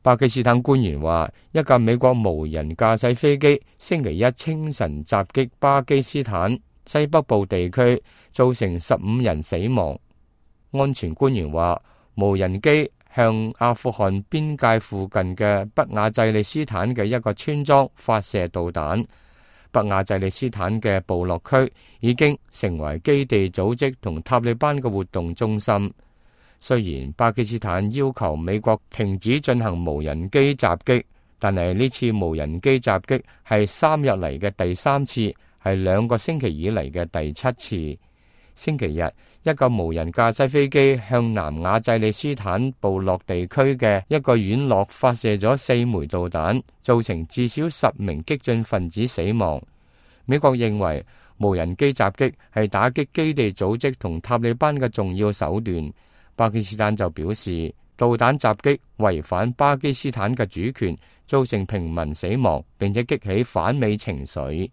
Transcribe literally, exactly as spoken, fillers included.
巴基斯坦官員話，一架美國無人駕駛飛機星期一清晨襲擊巴基斯坦西北部地區，造成十五人死亡。安全官員話，無人機向阿富汗邊界附近嘅北亞濟利斯坦嘅一個村莊發射導彈。北亞濟利斯坦嘅部落區已經成為基地組織同塔利班嘅活動中心。雖然巴基斯坦要求美國停止進行無人機襲擊，但係呢次無人機襲擊係三日嚟嘅第三次，係兩個星期以嚟嘅第七次。星期日，一個無人駕駛飛機向南亞濟利斯坦部落地區嘅一個院落發射咗四枚導彈，造成至少十名激進分子死亡。美國認為無人機襲擊係打擊基地組織同塔利班嘅重要手段。巴基斯坦就表示，導彈襲擊違反巴基斯坦嘅主權，造成平民死亡，並且激起反美情緒。